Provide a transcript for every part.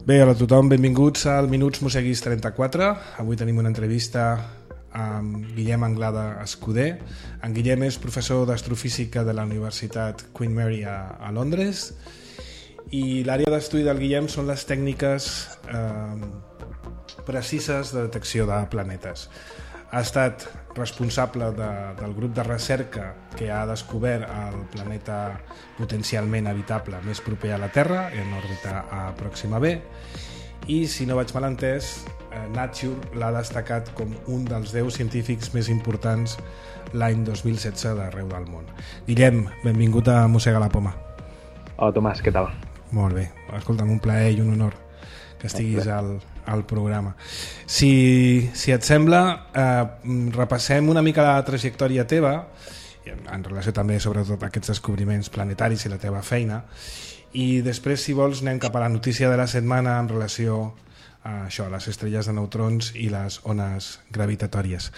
Bé, hola a tothom, benvinguts al Minuts Museguis 34. Avui tenim una entrevista amb Guillem Anglada Escuder. En Guillem és professor d'astrofísica de la Universitat Queen Mary a Londres i l'àrea d'estudi del Guillem són les tècniques precises de detecció de planetes. Ha estat responsable del grup de recerca que ha descobert el planeta potencialment habitable més proper a la Terra, en òrbita a Pròxima B, i, si no vaig mal entès, Nature l'ha destacat com un dels 10 científics més importants l'any 2016 d'arreu del món. Guillem, benvingut a Mossega la Poma. Hola, Tomàs, què tal? Molt bé. Escolta'm, un plaer i un honor que estiguis al programa. Si et sembla, repassem una mica la trajectòria teva, en relació també sobretot a aquests descobriments planetaris i la teva feina, i després, si vols, anem cap a la notícia de la setmana en relació a això, a les estrelles de neutrons i les ones gravitatòries.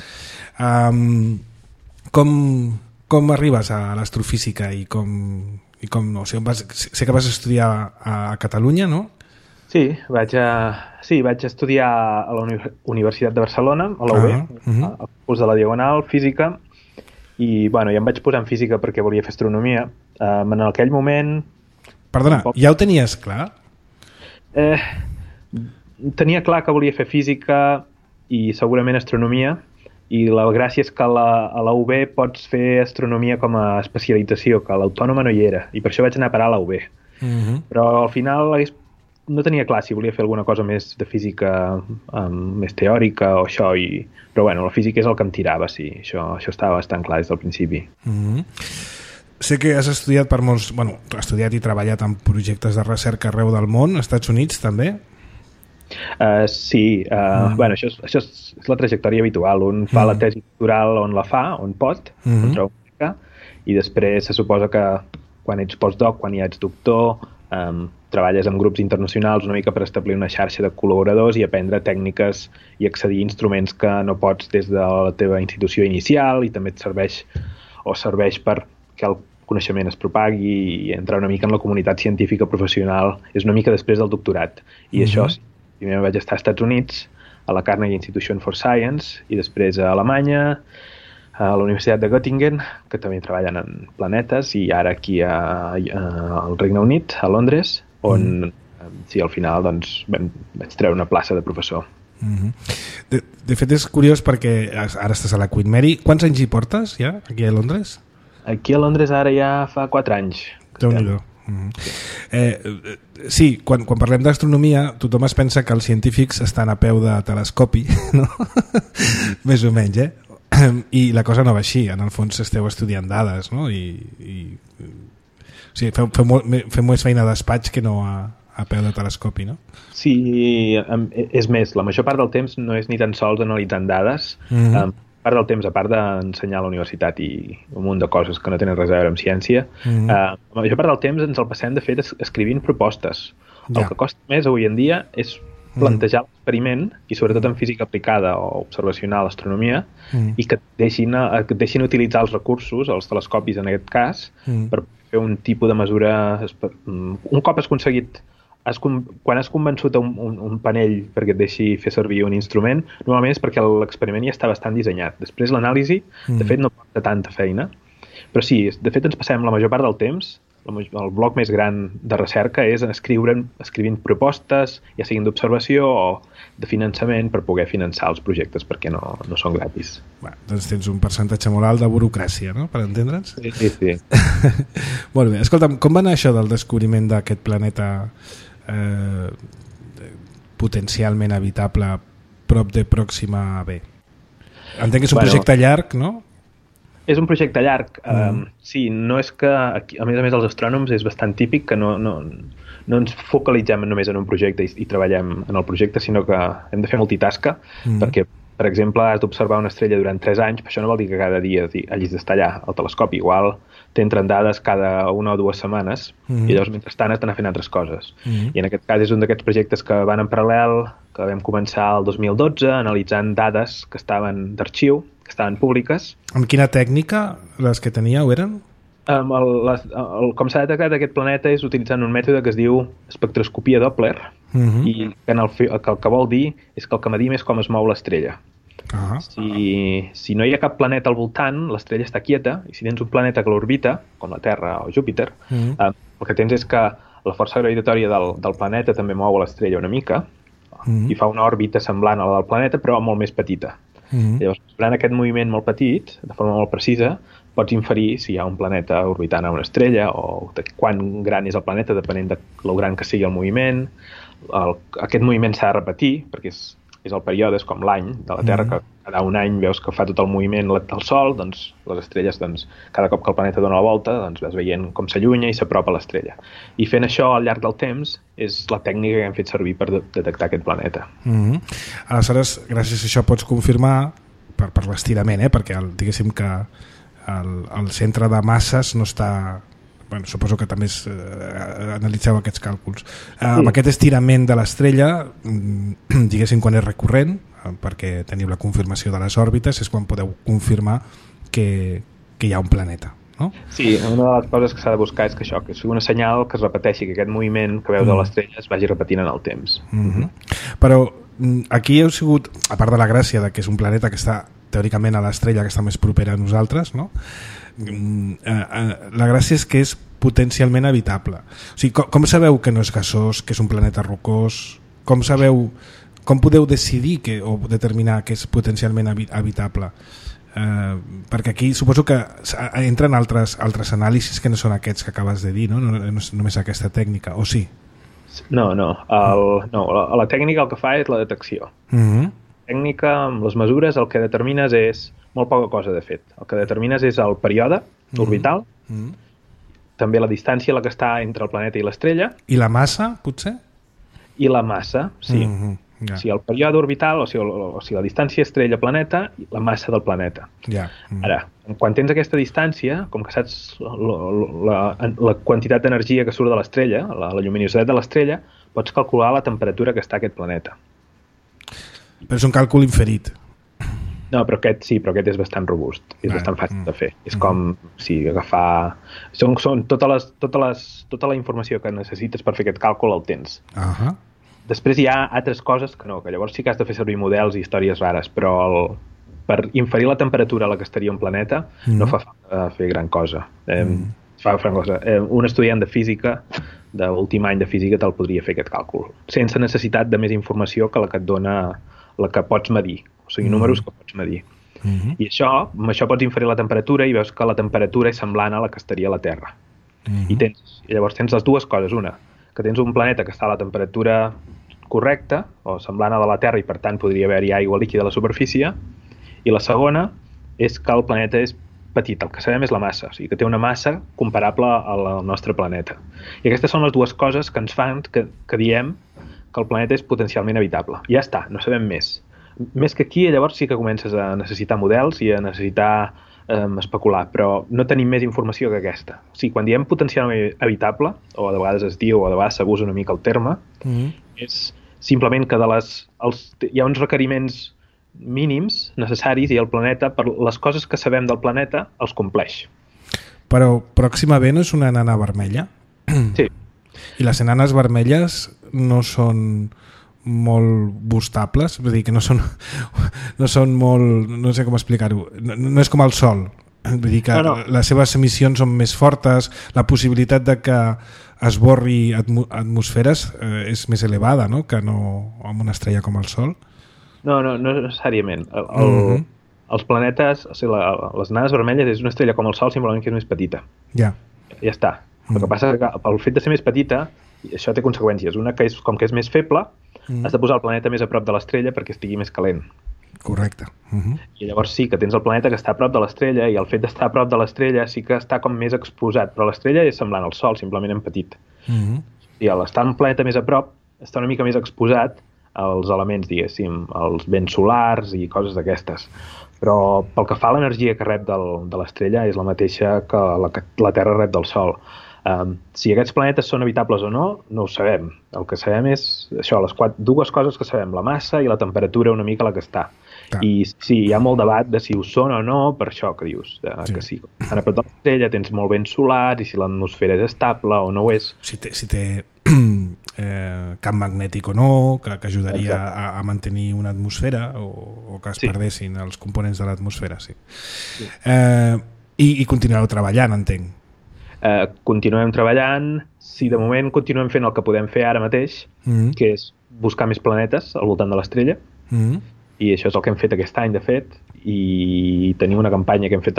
Com arribes a l'astrofísica i com no? O sigui, sé que vas estudiar a Catalunya, no? Sí, vaig estudiar a la Universitat de Barcelona, a la UB, al curs de la Diagonal, física, i bueno, ja em vaig posar en física perquè volia fer astronomia. En aquell moment... Perdona, ja ho tenies clar? Tenia clar que volia fer física i segurament astronomia, i la gràcia és que a la UB pots fer astronomia com a especialització, que a l'Autònoma no hi era, i per això vaig anar a parar a la UB. Però al final no tenia clar si volia fer alguna cosa més de física, més teòrica o això, però bueno, la física és el que em tirava, sí, això estava bastant clar des del principi. Sé que has estudiat per molts... Bueno, has estudiat i treballat en projectes de recerca arreu del món, als Estats Units també? Sí, bueno, això és la trajectòria habitual. Un fa la tesi doctoral on la fa, on pot, on troba una beca, i després se suposa que quan ets postdoc, quan ja ets doctor, treballes amb grups internacionals una mica per establir una xarxa de col·laboradors i aprendre tècniques i accedir a instruments que no pots des de la teva institució inicial, i també et serveix perquè el coneixement es propagui i entrar una mica en la comunitat científica professional. És una mica després del doctorat. I això, primer vaig estar als Estats Units, a la Carnegie Institution for Science, i després a Alemanya, a la Universitat de Göttingen, que també treballen en planetes, i ara aquí al Regne Unit, a Londres, on sí, al final doncs, vaig treure una plaça de professor. De fet, és curiós perquè ara estàs a la Queen Mary. Quants anys hi portes ja, aquí a Londres? Aquí a Londres ara ja fa 4 anys. Déu-n'hi-do. Sí, quan parlem d'astronomia tothom es pensa que els científics estan a peu de telescopi, no? Més o menys, i la cosa no va així. En el fons esteu estudiant dades, no? O sigui, feu més feina a despatx que no a peu de telescopi, no? Sí, és més, la major part del temps no és ni tan sols analitzant dades. Part del temps, a part d'ensenyar a la universitat i un munt de coses que no tenen res a veure amb ciència, la major part del temps ens el passem, de fet, escrivint propostes. El que costa més avui en dia és plantejar l'experiment, i sobretot en física aplicada o observacional, astronomia, i que et deixin utilitzar els recursos, els telescopis en aquest cas, per fer un tipus de mesura. Un cop has aconseguit, quan has convençut un panell perquè et deixi fer servir un instrument, normalment és perquè l'experiment ja està bastant dissenyat. Després l'anàlisi, de fet, no porta tanta feina, però sí, de fet ens passem la major part del temps, el bloc més gran de recerca és escrivint propostes, ja siguin d'observació o de finançament, per poder finançar els projectes, perquè no són gratis. Doncs tens un percentatge molt alt de burocràcia, no?, per entendre'ns? Sí. Molt bé. Escolta'm, com va anar això del descobriment d'aquest planeta potencialment habitable prop de Pròxima B? Entenc que és un projecte llarg, no? És un projecte llarg. Sí, no és que, a més els astrònoms és bastant típic que no ens focalitzem només en un projecte i treballem en el projecte, sinó que hem de fer multitasca, perquè, per exemple, has d'observar una estrella durant 3 anys, però això no vol dir que cada dia hagis d'estar allà al telescopi. Igual t'entren dades cada 1 o 2 setmanes, i llavors mentrestant has d'anar fent altres coses. I en aquest cas és un d'aquests projectes que van en paral·lel, que vam començar el 2012 analitzant dades que estaven d'arxiu, que estaven públiques. Amb quina tècnica les que teníeu eren? Com s'ha detectat aquest planeta és utilitzant un mètode que es diu espectroscopia Doppler, i que el que vol dir és que el que medim és com es mou l'estrella. Si no hi ha cap planeta al voltant, l'estrella està quieta, i si tens un planeta que l'orbita, com la Terra o Júpiter, el que tens és que la força gravitatòria del planeta també mou l'estrella una mica, i fa una òrbita semblant a la del planeta, però molt més petita. Llavors, durant aquest moviment molt petit, de forma molt precisa, pots inferir si hi ha un planeta orbitant a una estrella o de quan gran és el planeta, depenent de lo gran que sigui el moviment. Aquest moviment s'ha de repetir, perquè és el període, és com l'any de la Terra, que cada un any veus que fa tot el moviment del Sol, doncs les estrelles, cada cop que el planeta dona la volta, doncs vas veient com s'allunya i s'apropa a l'estrella. I fent això al llarg del temps és la tècnica que hem fet servir per detectar aquest planeta. Aleshores, gràcies a això pots confirmar, per l'estirament, perquè diguéssim que el centre de masses no està... Bueno, suposo que també analitzeu aquests càlculs. Amb aquest estirament de l'estrella, diguéssim, quan és recurrent, perquè teniu la confirmació de les òrbites, és quan podeu confirmar que hi ha un planeta, no? Sí, una de les coses que s'ha de buscar és que això, que sigui una senyal que es repeteixi, que aquest moviment que veus a l'estrella es vagi repetint en el temps. Però aquí heu sigut, a part de la gràcia de que és un planeta que està teòricament a l'estrella que està més propera a nosaltres, no? La gràcia és que és potencialment habitable. O sigui, com sabeu que no és gasós, que és un planeta rocós? Com podeu decidir o determinar que és potencialment habitable? Perquè aquí suposo que entren altres anàlisis que no són aquests que acabes de dir, no? No és només aquesta tècnica, o sí? No. La tècnica el que fa és la detecció. La tècnica, amb les mesures, el que determines és molt poca cosa, de fet. El que determines és el període orbital, també la distància a la que està entre el planeta i l'estrella. I la massa, potser? I la massa, sí. O sigui, el període orbital, o sigui, la distància estrella-planeta i la massa del planeta. Ara, quan tens aquesta distància, com que saps la quantitat d'energia que surt de l'estrella, la lluminositat de l'estrella, pots calcular la temperatura que està aquest planeta. Però és un càlcul inferit. No, però aquest és bastant robust, és bastant fàcil de fer. És com agafar... Són tota la informació que necessites per fer aquest càlcul el tens. Després hi ha altres coses que no, que llavors sí que has de fer servir models i històries rares, però per inferir la temperatura a la que estaria un planeta no fa falta fer gran cosa. Un estudiant de física, d'últim any de física, te'l podria fer aquest càlcul, sense necessitat de més informació que la que et dona la que pots medir. O sigui, números que pots medir. I amb això pots inferir la temperatura i veus que la temperatura és semblant a la que estaria a la Terra. I llavors tens les dues coses. Una, que tens un planeta que està a la temperatura correcta, o semblant a la Terra, i per tant podria haver-hi aigua líquida a la superfície. I la segona és que el planeta és petit, el que sabem és la massa, o sigui que té una massa comparable al nostre planeta. I aquestes són les dues coses que ens fan que diem que el planeta és potencialment habitable. Ja està, no sabem més. Més que aquí, llavors sí que comences a necessitar models i a necessitar especular, però no tenim més informació que aquesta. O sigui, quan diem potencialment habitable, o de vegades es diu, o de vegades s'abusa una mica el terme, és simplement que hi ha uns requeriments mínims necessaris i el planeta, per les coses que sabem del planeta, els compleix. Però Pròxima B no és una enana vermella? Sí. I les enanes vermelles no són molt bustables, vull dir que no són molt, no sé com explicar-ho, no és com el Sol, vull dir que les seves emissions són més fortes, la possibilitat de que esborri atmosferes és més elevada, no?, que no amb una estrella com el Sol. No necessàriament. Els planetes, o sigui, les enanes vermelles és una estrella com el Sol, simplement que és més petita. Ja està. El que passa és que pel fet de ser més petita, això té conseqüències. Una que és com que és més feble, has de posar el planeta més a prop de l'estrella perquè estigui més calent. Correcte. I llavors sí que tens el planeta que està a prop de l'estrella i el fet d'estar a prop de l'estrella sí que està com més exposat, però l'estrella és semblant al Sol, simplement en petit. I al estar un planeta més a prop, està una mica més exposat als elements, diguéssim, als vents solars i coses d'aquestes. Però pel que fa a l'energia que rep de l'estrella és la mateixa que la Terra rep del Sol. Si aquests planetes són habitables o no ho sabem. El que sabem és això, les dues coses que sabem, la massa i la temperatura una mica a la que està. I sí, hi ha molt debat de si ho són o no, per això que dius, que sí. En a prop de l'estrella tens molt vent solar i si l'atmosfera és estable o no ho és. Si té camp magnètic o no, que ajudaria a mantenir una atmosfera o que es perdessin els components de l'atmosfera, sí. I continueu treballant, entenc. Continuem treballant, sí, de moment continuem fent el que podem fer ara mateix, que és buscar més planetes al voltant de l'estrella, i això és el que hem fet aquest any, de fet, i tenim una campanya que hem fet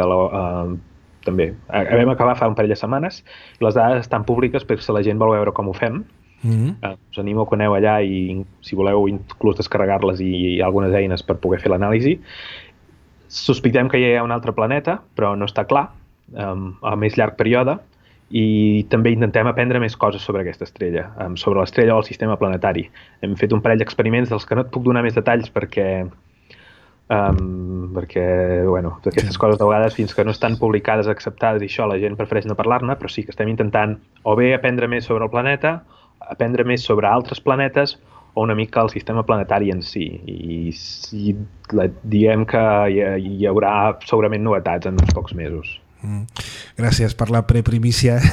també. Vam acabar fa un parell de setmanes i les dades estan públiques per si la gent vol veure com ho fem. Us animo que aneu allà i, si voleu, inclús descarregar-les i hi ha algunes eines per poder fer l'anàlisi. Sospitem que hi ha un altre planeta, però no està clar, a més llarg període, i també intentem aprendre més coses sobre aquesta estrella, sobre l'estrella o el sistema planetari. Hem fet un parell d'experiments dels que no et puc donar més detalls perquè aquestes coses de vegades, fins que no estan publicades, acceptades i això, la gent prefereix no parlar-ne, però sí que estem intentant o bé aprendre més sobre el planeta, aprendre més sobre altres planetes o una mica el sistema planetari en si. I diem que hi haurà segurament novetats en uns pocs mesos. Gràcies per la preprimícia.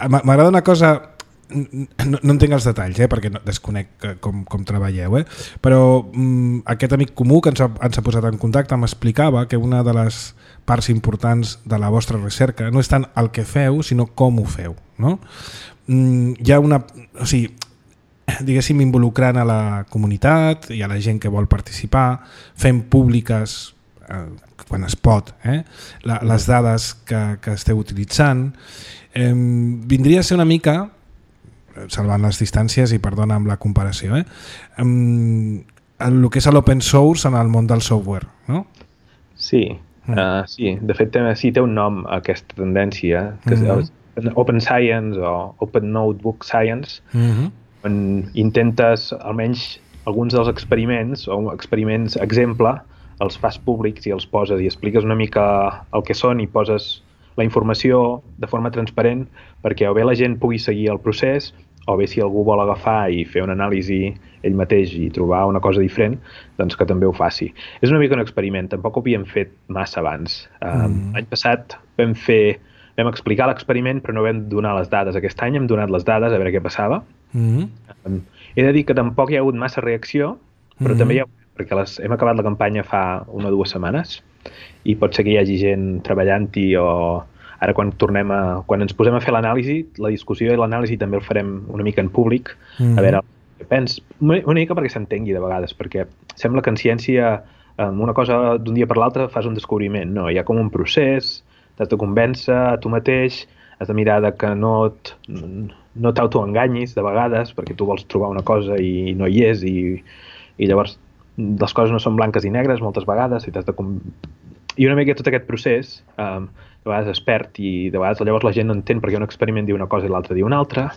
M'agrada una cosa, no entenc els detalls, perquè desconec com treballeu, però aquest amic comú que ens ha posat en contacte m'explicava que una de les parts importants de la vostra recerca no és tant el que feu, sinó com ho feu, no? Hi ha diguéssim, involucrant a la comunitat i a la gent que vol participar, fent públiques quan es pot, les dades que esteu utilitzant. Vindria a ser una mica, salvant les distàncies i perdona amb la comparació, el que és l'open source en el món del software, no? Sí, sí. De fet té un nom aquesta tendència, que és Open Science o Open Notebook Science, on intentes almenys alguns dels experiments o experiments exemple els fas públics i els poses i expliques una mica el que són i poses la informació de forma transparent perquè o bé la gent pugui seguir el procés o bé si algú vol agafar i fer una anàlisi ell mateix i trobar una cosa diferent, doncs que també ho faci. És una mica un experiment, tampoc ho havíem fet massa abans. L'any passat vam explicar l'experiment però no vam donar les dades. Aquest any hem donat les dades a veure què passava. He de dir que tampoc hi ha hagut massa reacció, però també hi ha perquè hem acabat la campanya fa 1 o 2 setmanes i pot ser que hi hagi gent treballant-hi o ara quan ens posem a fer l'anàlisi, la discussió i l'anàlisi també el farem una mica en públic, a veure què pens, una mica perquè s'entengui de vegades, perquè sembla que en ciència una cosa d'un dia per l'altre fas un descobriment, no, hi ha com un procés, t'has de convèncer a tu mateix, has de mirar que no t'autoenganyis de vegades perquè tu vols trobar una cosa i no hi és i llavors les coses no són blanques i negres moltes vegades i una mica tot aquest procés de vegades es perd i de vegades llavors la gent no entén perquè un experiment diu una cosa i l'altre diu una altra,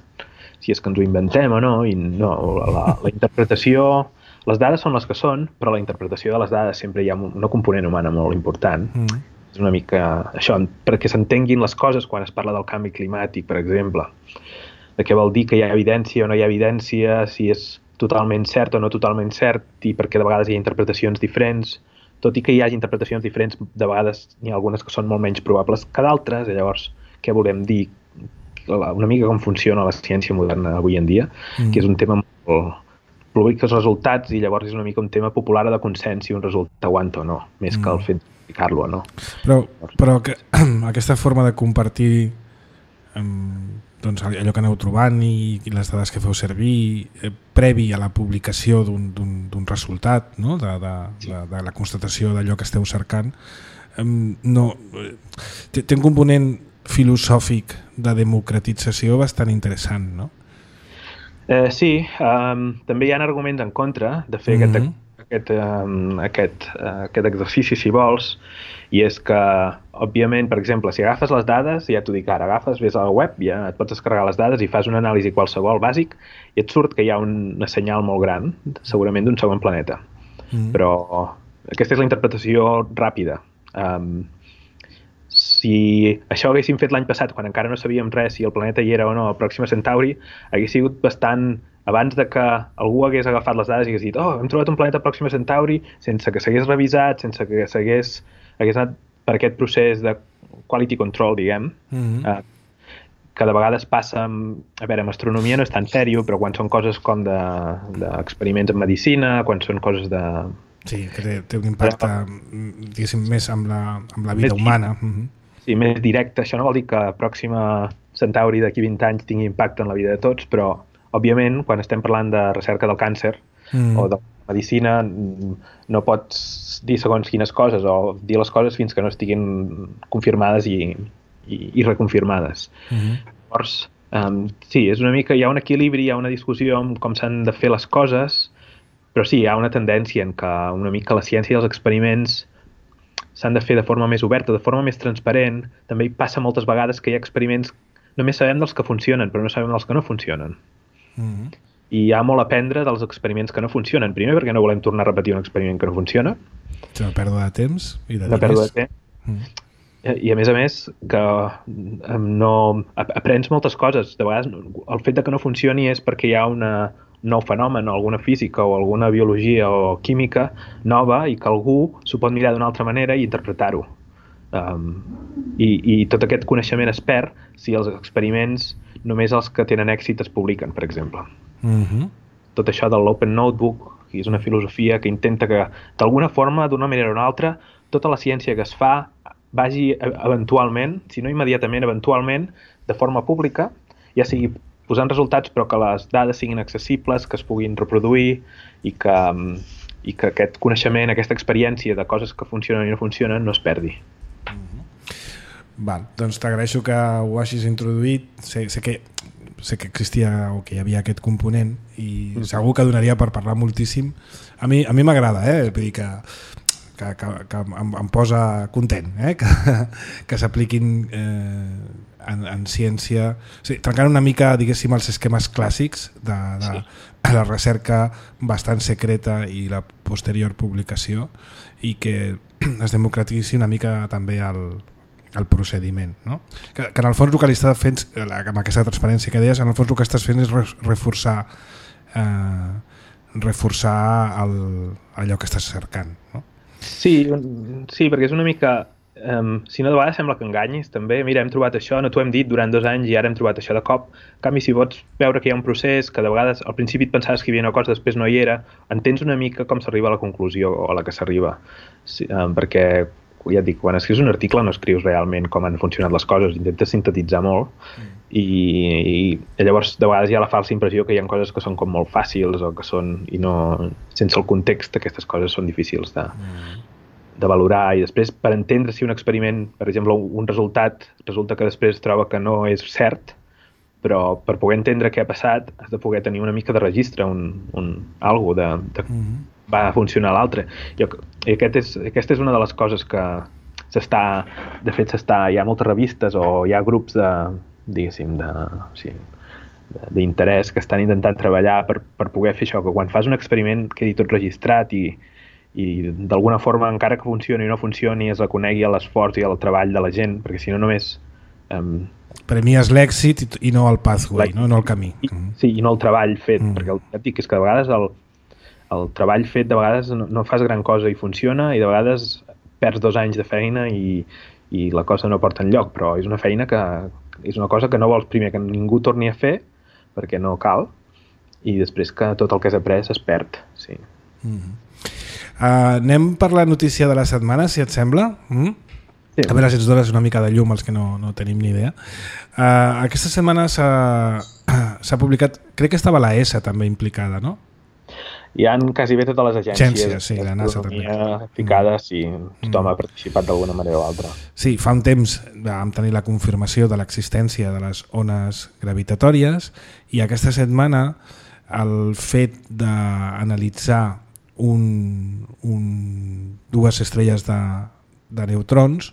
si és que ens ho inventem o no, i no, la interpretació, les dades són les que són, però la interpretació de les dades sempre hi ha una component humana molt important. És una mica això, perquè s'entenguin les coses quan es parla del canvi climàtic, per exemple, de què vol dir que hi ha evidència o no hi ha evidència, si és totalment cert o no totalment cert i perquè de vegades hi ha interpretacions diferents, tot i que hi hagi interpretacions diferents, de vegades n'hi ha algunes que són molt menys probables que d'altres, i llavors què volem dir? Una mica com funciona la ciència moderna avui en dia, que és un tema molt publica els resultats i llavors és una mica un tema popular de consens si un resultat aguanta o no, més que el fet d'explicar-lo o no. Però aquesta forma de compartir doncs allò que aneu trobant i les dades que feu servir previ a la publicació d'un resultat, no? de la constatació d'allò que esteu cercant, té un component filosòfic de democratització bastant interessant, no? Sí, també hi ha arguments en contra de fer aquest exercici, si vols, i és que, òbviament, per exemple, si agafes les dades, ja t'ho dic ara, ves a la web, ja et pots descarregar les dades i fas una anàlisi qualsevol bàsic i et surt que hi ha una senyal molt gran, segurament d'un segon planeta. Però aquesta és la interpretació ràpida. Si això ho haguéssim fet l'any passat, quan encara no sabíem res si el planeta hi era o no, el Pròxima Centauri, hagués sigut bastant abans de que algú hagués agafat les dades i hagués dit hem trobat un planeta pròxim a Centauri, sense que s'hagués revisat, sense que hagués anat per aquest procés de quality control, diguem, que de vegades passa a veure, amb astronomia no és tan sèrio, però quan són coses com d'experiments en medicina, quan són coses de... Sí, que té un impacte, diguéssim, més amb la vida humana. Sí, més directe. Això no vol dir que Pròxima Centauri d'aquí 20 anys tingui impacte en la vida de tots, però, òbviament, quan estem parlant de recerca del càncer o de medicina, no pots dir segons quines coses o dir les coses fins que no estiguin confirmades i reconfirmades. Llavors, sí, és una mica, hi ha un equilibri, hi ha una discussió amb com s'han de fer les coses, però sí, hi ha una tendència en què una mica la ciència i els experiments s'han de fer de forma més oberta, de forma més transparent. També hi passa moltes vegades que hi ha experiments, només sabem dels que funcionen, però no sabem dels que no funcionen. I hi ha molt a aprendre dels experiments que no funcionen. Primer, perquè no volem tornar a repetir un experiment que no funciona. És una pèrdua de temps i de diners. Una pèrdua de temps. I a més, que no aprens moltes coses. De vegades, el fet de que no funcioni és perquè hi ha un nou fenomen, o alguna física o alguna biologia o química nova i que algú s'ho pot mirar d'una altra manera i interpretar-ho. I tot aquest coneixement es perd si els experiments només els que tenen èxit es publiquen, per exemple. Tot això de l'Open Notebook, que és una filosofia que intenta que, d'alguna forma, d'una manera o una altra, tota la ciència que es fa vagi eventualment, si no immediatament, eventualment, de forma pública, ja sigui posant resultats, però que les dades siguin accessibles, que es puguin reproduir i que aquest coneixement, aquesta experiència de coses que funcionen i no funcionen no es perdi. Val, doncs t'agraeixo que ho hagis introduït. Sé que existia o que hi havia aquest component i segur que donaria per parlar moltíssim. A mi m'agrada, vull dir que em posa content que s'apliquin en ciència, trencant una mica, diguéssim, els esquemes clàssics de la recerca bastant secreta i la posterior publicació, i que es democratitzi una mica també el procediment, no? Que en el fons el que li estàs fent, amb aquesta transparència que deies, en el fons el que estàs fent és reforçar allò que estàs cercant, no? Sí, perquè és una mica... si no, de vegades sembla que enganyis, també. Mira, hem trobat això, no t'ho hem dit durant 2 anys i ara hem trobat això de cop. En canvi, si pots veure que hi ha un procés, que de vegades al principi et pensaves que hi havia una cosa, després no hi era, entens una mica com s'arriba a la conclusió a la que s'arriba. Sí, perquè, ja et dic, quan escrius un article no escrius realment com han funcionat les coses, intentes sintetitzar molt i llavors de vegades hi ha la falsa impressió que hi ha coses que són com molt fàcils o que són, i no, sense el context aquestes coses són difícils de valorar, i després per entendre si un experiment, per exemple un resultat, resulta que després troba que no és cert, però per poder entendre què ha passat has de poder tenir una mica de registre, algo de va funcionar l'altre. I aquesta és una de les coses que hi ha moltes revistes o hi ha grups diguéssim, d'interès que estan intentant treballar per poder fer això, que quan fas un experiment quedi tot registrat i d'alguna forma, encara que funcioni o no funcioni, es reconegui l'esforç i el treball de la gent, perquè si no només... Premies l'èxit i no el pathway, no el camí. Sí, i no el treball fet, perquè et dic és que de vegades el treball fet de vegades no fas gran cosa i funciona, i de vegades perds 2 anys de feina i la cosa no porta enlloc, però és una feina que és una cosa que no vols primer que ningú torni a fer, perquè no cal, i després que tot el que has après es perd. Sí. Anem per la notícia de la setmana, si et sembla. Sí. A veure si ens dones una mica de llum als que no tenim ni idea. Aquesta setmana s'ha publicat, crec que estava la ESA també implicada, no? Hi ha quasi bé totes les agències sí, la NASA també ficades i tothom ha participat d'alguna manera o altra. Sí, fa un temps vam tenir la confirmació de l'existència de les ones gravitatòries, i aquesta setmana el fet d'analitzar dues estrelles de neutrons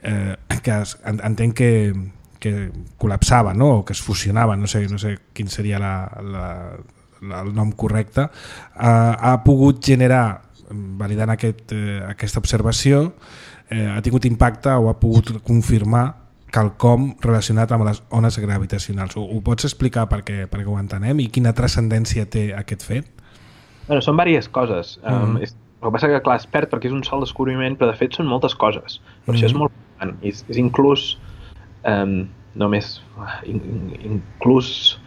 que entenc que col·lapsaven, no? O que es fusionaven, no sé quin seria el nom correcte, ha pogut generar, validant aquesta observació, ha tingut impacte o ha pogut confirmar quelcom relacionat amb les ones gravitacionals. Ho pots explicar perquè ho entenem i quina transcendència té aquest fet? Bueno, són diverses coses. El que passa que, clar, es perd perquè és un sol descobriment, però de fet són moltes coses. Per això és molt important. És inclús només inclús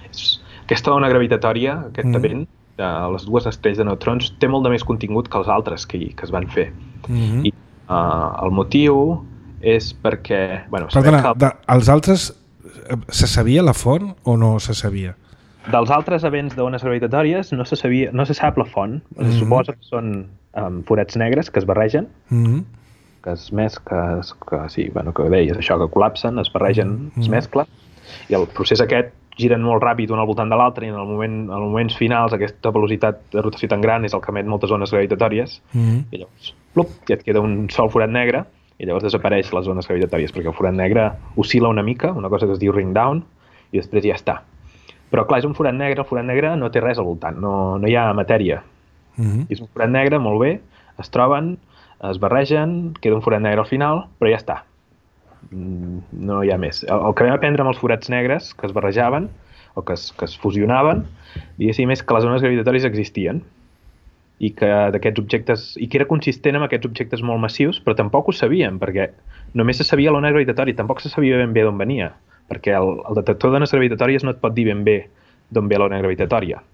aquesta ona gravitatòria, aquest event de les dues estrelles de neutrons té molt de més contingut que els altres que es van fer. I el motiu és perquè... Bueno, perdona, els altres se sabia la font o no se sabia? Dels altres events d'ones gravitatòries no se sap la font. Se suposa que són forats negres que es barregen, que deies això, que col·lapsen, es barregen, es mesclen, i el procés aquest giren molt ràpid un al voltant de l'altre, i en els moments finals aquesta velocitat de rotació tan gran és el que emet moltes ones gravitatòries, i llavors i et queda un sol forat negre, i llavors desapareix les ones gravitatòries, perquè el forat negre oscil·la una mica, una cosa que es diu ring down, i després ja està. Però clar, és un forat negre, el forat negre no té res al voltant, no hi ha matèria. És un forat negre, molt bé, es troben, es barregen, queda un forat negre al final, però ja està. No hi ha més. El que vam aprendre amb els forats negres que es barrejaven, o que es fusionaven, diguéssim, és que les ones gravitatòries existien, i que d'aquests objectes, i que era consistent amb aquests objectes molt massius, però tampoc ho sabíem, perquè només se sabia l'ona gravitatòria, tampoc se sabia ben bé d'on venia, perquè el detector d'ones gravitatòries no et pot dir ben bé d'on ve l'ona gravitatòria.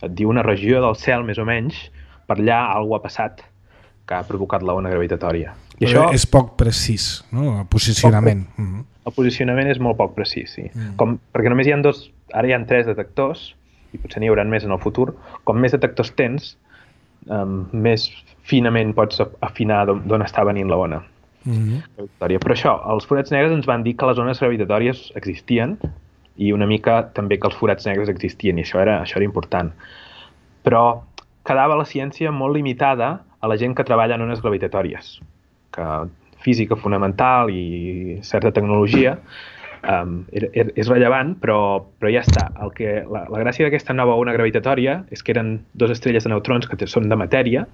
Et diu una regió del cel, més o menys, per allà alguna ha passat que ha provocat l'ona gravitatòria. I això és poc precís, no? El posicionament. El posicionament és molt poc precís, sí. Perquè només hi ha ara hi ha 3 detectors, i potser n'hi haurà més en el futur. Com més detectors tens, més finament pots afinar d'on està venint la ona. Però això, els forats negres ens van dir que les ones gravitatòries existien i una mica també que els forats negres existien, i això era important. Però quedava la ciència molt limitada a la gent que treballa en ones gravitatòries, que física fonamental i certa tecnologia és rellevant, però ja està. La gràcia d'aquesta nova ona gravitatòria és que eren 2 estrelles de neutrons que són de matèria,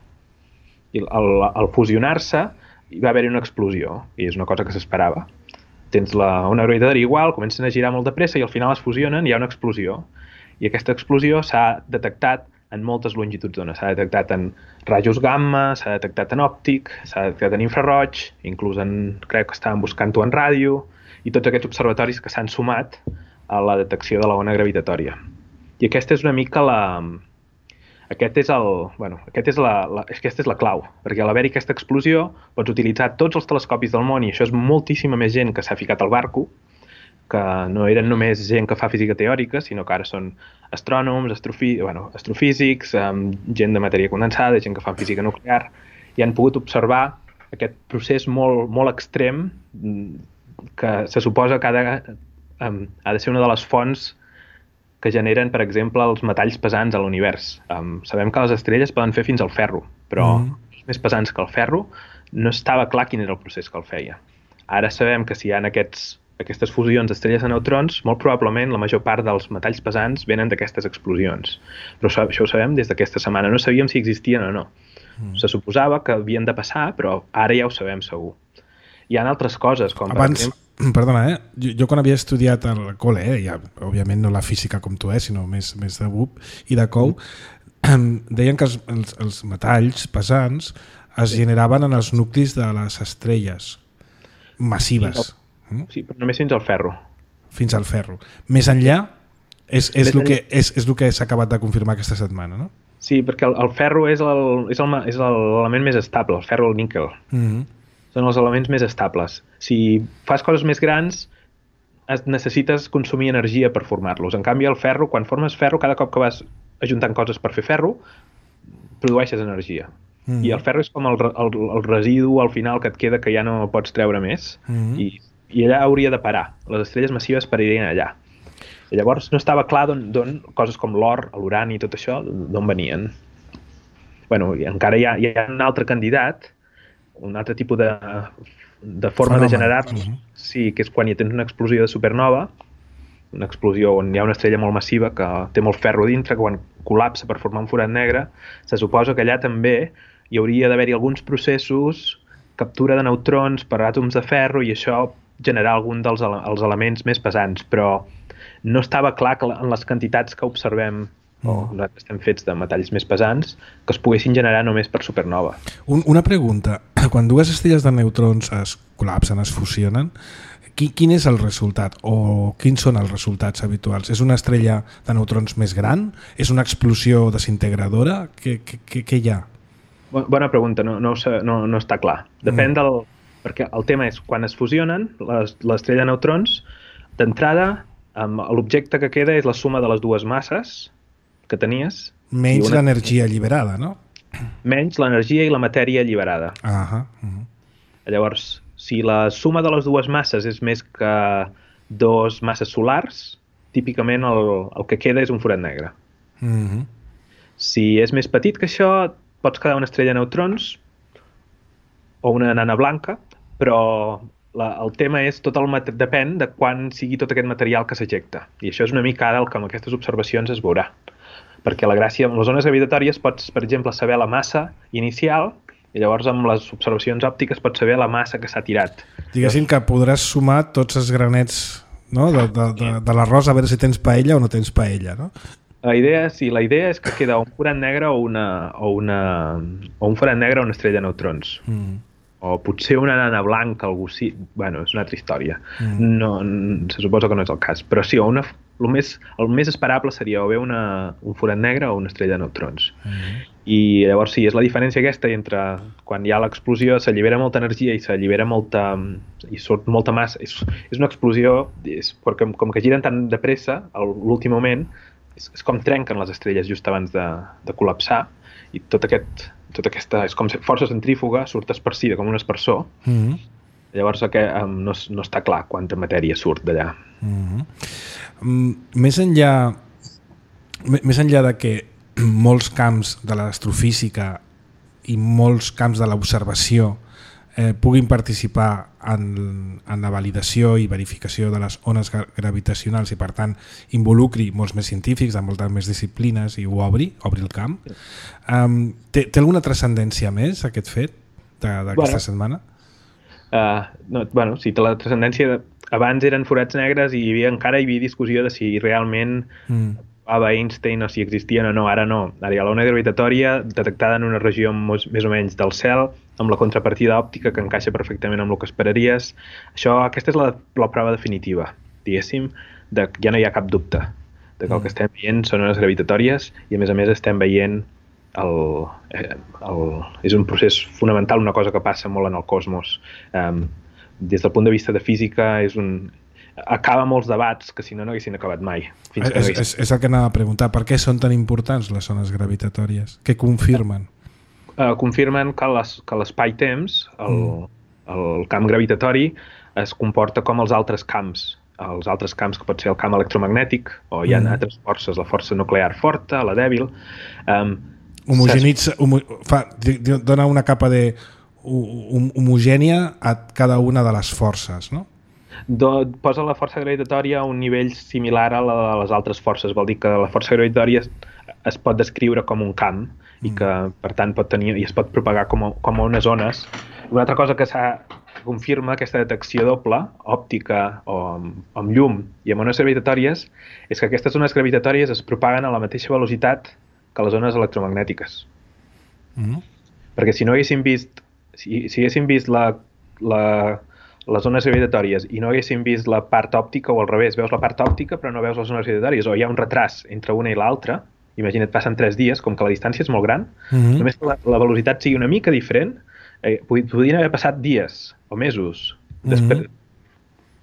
i al fusionar-se hi va haver-hi una explosió, i és una cosa que s'esperava. Tens la ona gravitatòria igual, comencen a girar molt de pressa i al final es fusionen i hi ha una explosió. I aquesta explosió s'ha detectat en moltes longituds d'ona. S'ha detectat en rajos gamma, s'ha detectat en òptic, s'ha detectat en infraroig, inclús crec que estaven buscant-ho en ràdio, i tots aquests observatoris que s'han sumat a la detecció de la ona gravitatòria. I aquesta és una mica aquesta és la clau, perquè a l'haver-hi aquesta explosió pots utilitzar tots els telescopis del món, i això és moltíssima més gent que s'ha ficat al barco, que no eren només gent que fa física teòrica, sinó que ara són astrònoms, astrofísics, gent de matèria condensada, gent que fa física nuclear, i han pogut observar aquest procés molt, molt extrem que se suposa que ha de ser una de les fonts que generen, per exemple, els metalls pesants a l'univers. Sabem que les estrelles poden fer fins al ferro, però els més pesants que el ferro no estava clar quin era el procés que el feia. Ara sabem que si hi ha aquestes fusions d'estrelles de neutrons, molt probablement la major part dels metalls pesants venen d'aquestes explosions. Però això ho sabem des d'aquesta setmana. No sabíem si existien o no. Se suposava que havien de passar, però ara ja ho sabem segur. Hi ha altres coses, com abans, per exemple... Perdona, jo quan havia estudiat al col·le, ja, òbviament no la física com tu, sinó més de BUP i de COU, deien que els metalls pesants es generaven en els nuclis de les estrelles massives. Sí, però només fins al ferro. Fins al ferro. Més enllà és el que s'ha acabat de confirmar aquesta setmana, no? Sí, perquè el ferro és l'element més estable, el ferro o el níquel. Són els elements més estables. Si fas coses més grans, necessites consumir energia per formar-los. En canvi, el ferro, quan formes ferro, cada cop que vas ajuntant coses per fer ferro, produeixes energia. I el ferro és com el residu al final que et queda que ja no pots treure més. I allà hauria de parar. Les estrelles massives paririen allà. I llavors no estava clar d'on coses com l'or, l'urani i tot això, d'on venien. Bueno, i encara hi ha un altre candidat, un altre tipus de forma de generar-los, sí, que és quan hi tens una explosió de supernova, una explosió on hi ha una estrella molt massiva que té molt ferro dintre, que quan col·lapsa per formar un forat negre, se suposa que allà també hi hauria d'haver-hi alguns processos, captura de neutrons per àtoms de ferro, i això generar algun dels els elements més pesants, però no estava clar que en les quantitats que observem o nosaltres estem fets de metalls més pesants que es poguessin generar només per supernova. Una pregunta. Quan dues estrelles de neutrons es col·lapsen, es fusionen, quin és el resultat o quins són els resultats habituals? És una estrella de neutrons més gran? És una explosió desintegradora? Què hi ha? Bona pregunta, no està clar. Depèn del... Perquè el tema és, quan es fusionen l'estrella de neutrons, d'entrada l'objecte que queda és la suma de les dues masses que tenies. Menys l'energia alliberada, no? Menys l'energia i la matèria alliberada. Llavors, si la suma de les dues masses és més que dos masses solars, típicament el que queda és un forat negre. Si és més petit que això, pots quedar una estrella de neutrons o una nana blanca, però el tema és depèn de quan sigui tot aquest material que s'ejecta. I això és una mica ara el que amb aquestes observacions es veurà. Perquè la gràcia, amb les ones gravitatòries pots, per exemple, saber la massa inicial i llavors amb les observacions òptiques pots saber la massa que s'ha tirat. Diguéssim que podràs sumar tots els granets, no? de l'arròs a veure si tens paella o no tens paella, no? La idea és que queda un forat negre o un forat negre o una estrella de neutrons. O potser una nana blanca, algú sí. Bueno, és una altra història. No, se suposa que no és el cas. Però sí, el més esperable seria o bé un forat negre o una estrella de neutrons. I llavors sí, és la diferència aquesta entre quan hi ha l'explosió s'allibera molta energia i s'allibera molta... i surt molta massa. És una explosió, perquè com que giren tan de pressa, a l'últim moment, és com trenquen les estrelles just abans de col·lapsar i tot aquesta és com força centrífuga, surt esparcida com un aspersor. Llavors no està clar quanta matèria surt d'allà. Més enllà de que molts camps de l'astrofísica i molts camps de l'observació puguin participar en la validació i verificació de les ones gravitacionals i per tant involucri molts més científics de moltes més disciplines i ho obri el camp. Té alguna transcendència més aquest fet d'aquesta setmana? Sí, té la transcendència. Abans eren forats negres i encara hi havia discussió de si realment Einstein o si existien o no. Ara no. Ara hi ha l'ona gravitatòria detectada en una regió més o menys del cel amb la contrapartida òptica que encaixa perfectament amb el que esperaries. Aquesta és la prova definitiva, diguéssim, que ja no hi ha cap dubte de que el que estem veient són ones gravitatòries i a més estem veient és un procés fonamental, una cosa que passa molt en el cosmos. Des del punt de vista de física acaba molts debats que si no haguessin acabat mai. És el que anava a preguntar. Per què són tan importants les ones gravitatòries? Què confirmen? Confirmen que l'espai-temps, el camp gravitatori, es comporta com els altres camps. Els altres camps, que pot ser el camp electromagnètic, o hi ha altres forces, la força nuclear forta, la dèbil. Dona una capa homogènia a cada una de les forces, no? Posa la força gravitatòria a un nivell similar a la de les altres forces. Vol dir que la força gravitatòria es pot descriure com un camp i que, per tant, es pot propagar com a unes ones. Una altra cosa que confirma aquesta detecció doble, òptica o amb llum i amb ones gravitatòries, és que aquestes ones gravitatòries es propaguen a la mateixa velocitat que les ones electromagnètiques. Perquè si no haguéssim vist, si haguéssim vist les ones gravitatòries i no haguéssim vist la part òptica, o al revés, veus la part òptica però no veus les ones gravitatòries, o hi ha un retras entre una i l'altra, imagina't, passen 3 dies, com que la distància és molt gran, només que la velocitat sigui una mica diferent, podrien haver passat dies o mesos després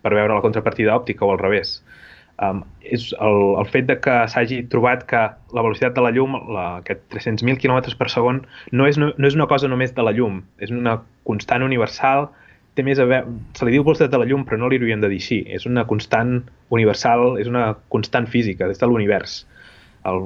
per veure la contrapartida òptica o al revés. És el fet de que s'hagi trobat que la velocitat de la llum, aquest 300.000 km per segon, no és una cosa només de la llum, és una constant universal, té més a veure, se li diu velocitat de la llum però no li hauríem de dir així, és una constant universal, és una constant física des de l'univers. El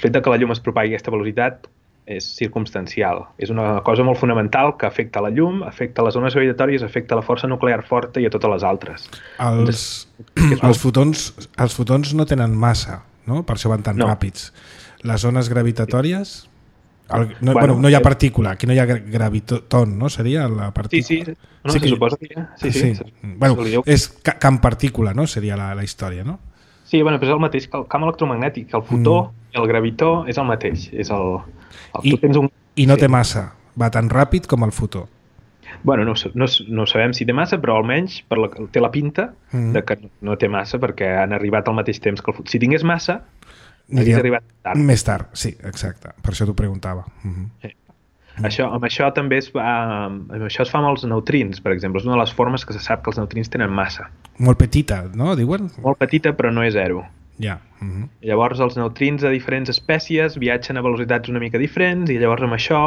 fet de que la llum es propagui a aquesta velocitat és circumstancial. És una cosa molt fonamental que afecta la llum, afecta les ones gravitatòries, afecta la força nuclear forta i a totes les altres. Els fotons no tenen massa, no? Per això van tan ràpids. Les ones gravitatòries No hi ha partícula, aquí no hi ha graviton, no? Seria la partícula. Sí, se suposa que hi ha. Sí. Bueno, és camp partícula, no? Seria la història, no? Sí, però és el mateix que el camp electromagnètic. El fotó i el gravitó és el mateix. I no té massa, va tan ràpid com el fotó. Bueno, no sabem si té massa, però almenys té la pinta de que no té massa, perquè han arribat al mateix temps que el fotó. Si tingués massa, hauria arribat tard. Més tard, sí, exacte. Per això t'ho preguntava. Amb això també es fa amb els neutrins, per exemple. És una de les formes que se sap que els neutrins tenen massa. Molt petita, no? Diuen? Molt petita, però no és zero. Ja. Llavors els neutrins de diferents espècies viatgen a velocitats una mica diferents i llavors amb això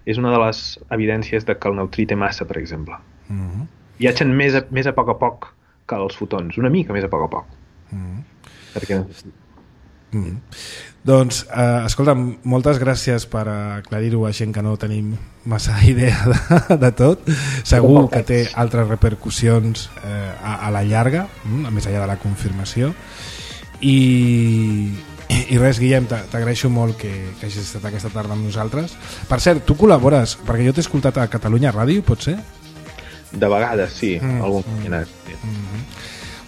és una de les evidències de que el neutrí té massa, per exemple. Viatgen més a poc que els fotons, una mica més a poc. Perquè... Doncs, escolta'm, moltes gràcies per aclarir-ho a gent que no tenim massa idea de tot. Segur que té altres repercussions a la llarga, més enllà de la confirmació. I res, Guillem, t'agraeixo molt que hagis estat aquesta tarda amb nosaltres. Per cert, tu col·labores, perquè jo t'he escoltat a Catalunya Ràdio, pot ser? De vegades, sí, algun combinat.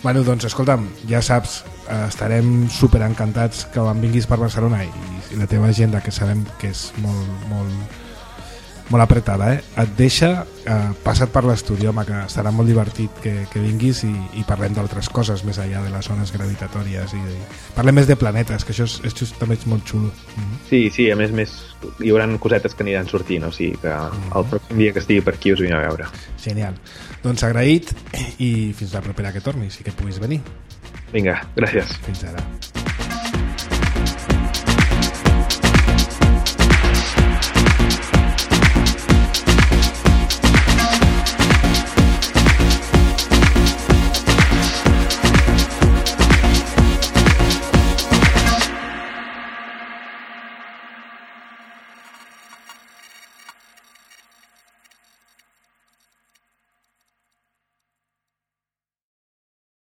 Bueno, doncs, escolta'm, ja saps, estarem super encantats que quan vinguis per Barcelona i la teva agenda, que sabem que és molt apretada, et deixa, passa't per l'estudi, home, que estarà molt divertit que vinguis i parlem d'altres coses més enllà de les zones gravitatòries i parlem més de planetes, que això és també és molt xulo. Sí, a més hi haurà cosetes que aniran sortint, o sigui que el pròxim dia que estigui per aquí us vine a veure. Genial. Doncs agraït i fins la propera que tornis i que puguis venir. Vinga, gràcies. Fins ara.